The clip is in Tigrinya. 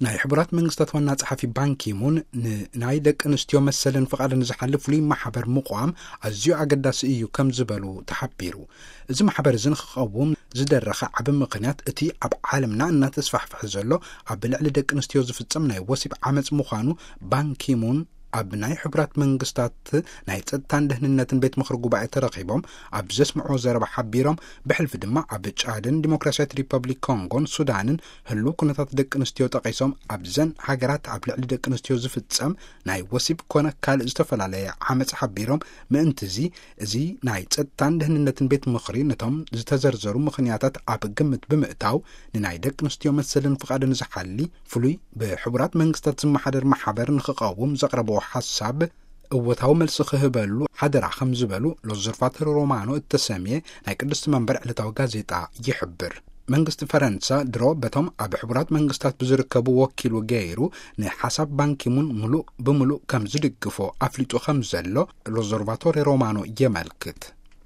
ናይ ሕቡራት መንግስታት ዋና ጸሓፊ ባንኪሙን ንናይ ደቂ ኣንስትዮ መሰልን ፍቓድን ዝሓልፍ ፍሉይ ማሕበር ምቋም ኣዝዩ ኣገዳሲ እዩ ከም ዝበሉ ተሓቢሩ። እዚ ማሕበር እዚ ንክቐውም ዝደረኸ ዓቢ ምኽንያት እቲ ኣብ ዓለምና እናተስፋሕፍሐ ዘሎ ኣብ ልዕሊ ደቂ ኣንስትዮ ዝፍጸም ናይ ወሲብ ዓመጽ ምዃኑ ባንኪሙን ኣብ ናይ ሕቡራት መንግስታት ናይ ጸጥታን ደህንነትን ቤት ምኽሪ ጉባኤ ተረኺቦም ኣብ ዘስምዕዎ ዘረባ ሓቢሮም፣ ብሕልፊ ድማ ኣብ ጫድን ዲሞክራሲያዊት ሪፐብሊክ ኮንጎን ሱዳንን ህሉው ኩነታት ደቂ ኣንስትዮ ጠቒሶም ኣብዘን ሃገራት ኣብ ልዕሊ ደቂ ኣንስትዮ ዝፍጸም ናይ ወሲብ ኮነ ካልእ ዝተፈላለየ ዓመጽ ሓቢሮም፣ ምእንቲ እዚ እዚ ናይ ጸጥታን ደህንነትን ቤት ምኽሪ ነቶም ዝተዘርዘሩ ምኽንያታት ኣብ ግምት ብምእታው ንናይ ደቂ ኣንስትዮ መሰልን ፍቓድን ዝሓሊ ፍሉይ ብሕቡራት መንግስታት ዝመሓደር ማሕበር ንክቐውም ዘቕረብዎ ሓሳብ እወታዊ መልሲ ክህበሉ ሓደራ ከም ዝበሉ ሎዘርቫተር ሮማኖ እተሰምየ ናይ ቅድስቲ መንበር ዕለታዊ ጋዜጣ ይሕብር። መንግስቲ ፈረንሳ ድሮ በቶም ኣብ ሕቡራት መንግስታት ብዝርከቡ ወኪሉ ገይሩ ንሓሳብ ባንኪሙን ምሉእ ብምሉእ ከም ዝድግፎ ኣፍሊጡ ከም ዘሎ ሎዘርቫቶሪ ሮማኖ የመልክት።